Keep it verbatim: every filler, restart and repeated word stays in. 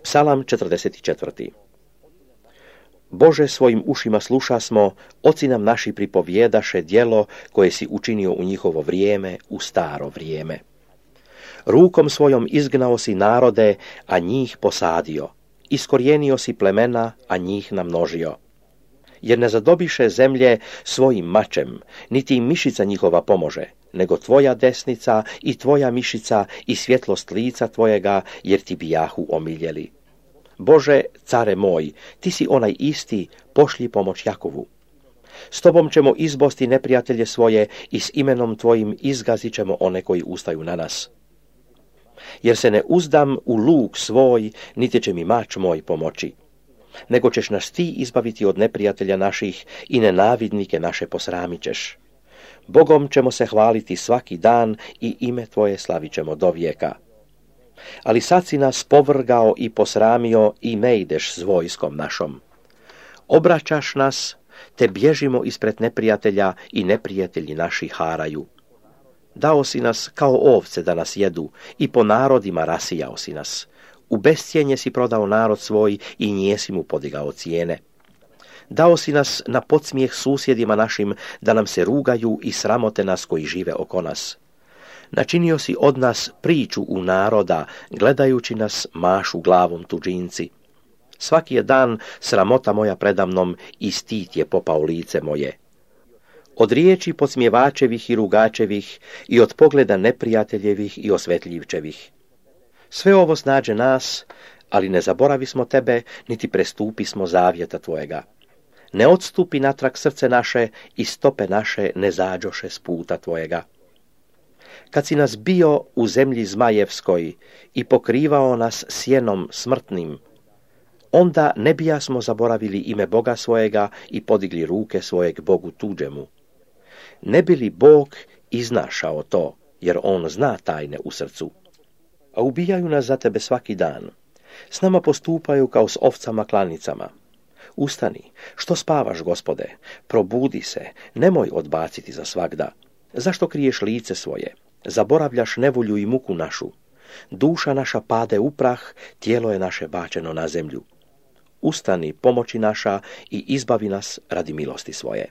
Psalam četrdeset četvrti. Bože, svojim ušima sluša smo, oci nam naši pripovjedaše djelo koje si učinio u njihovo vrijeme, u staro vrijeme. Rukom svojom izgnao si narode, a njih posadio. Iskorijenio si plemena, a njih namnožio. Jer ne zadobiše zemlje svojim mačem, niti im mišica njihova pomože, nego tvoja desnica i tvoja mišica i svjetlost lica tvojega, jer ti bijahu omiljeli. Bože, care moj, ti si onaj isti, pošlji pomoć Jakovu. S tobom ćemo izbosti neprijatelje svoje i s imenom tvojim izgazit ćemo one koji ustaju na nas. Jer se ne uzdam u luk svoj, niti će mi mač moj pomoći. Nego ćeš nas ti izbaviti od neprijatelja naših i nenavidnike naše posramit ćeš. Bogom ćemo se hvaliti svaki dan i ime tvoje slavit ćemo do vijeka. Ali sad si nas povrgao i posramio i ne ideš s vojskom našom. Obraćaš nas, te bježimo ispred neprijatelja i neprijatelji naši haraju. Dao si nas kao ovce da nas jedu i po narodima rasijao si nas. U bescijenje si prodao narod svoj i njesi mu podigao cijene. Dao si nas na podsmijeh susjedima našim da nam se rugaju i sramote nas koji žive oko nas. Načinio si od nas priču u naroda, gledajući nas mašu glavom tuđinci. Svaki je dan sramota moja predamnom i stid je popao lice moje. Od riječi podsmjevačevih i rugačevih i od pogleda neprijateljevih i osvetljivčevih. Sve ovo snađe nas, ali ne zaboravismo tebe, niti prestupismo zavjeta tvojega. Ne odstupi natrag srce naše i stope naše ne zađoše s puta tvojega. Kad si nas bio u zemlji zmajevskoj i pokrivao nas sjenom smrtnim, onda ne bijasmo zaboravili ime Boga svojega i podigli ruke svojeg Bogu tuđemu. Ne bi li Bog iznašao to, jer on zna tajne u srcu? A ubijaju nas za tebe svaki dan. S nama postupaju kao s ovcama klanicama. Ustani, što spavaš, Gospode? Probudi se, nemoj odbaciti za svagda. Zašto kriješ lice svoje? Zaboravljaš nevolju i muku našu. Duša naša pade u prah, tijelo je naše bačeno na zemlju. Ustani, pomoći naša, i izbavi nas radi milosti svoje.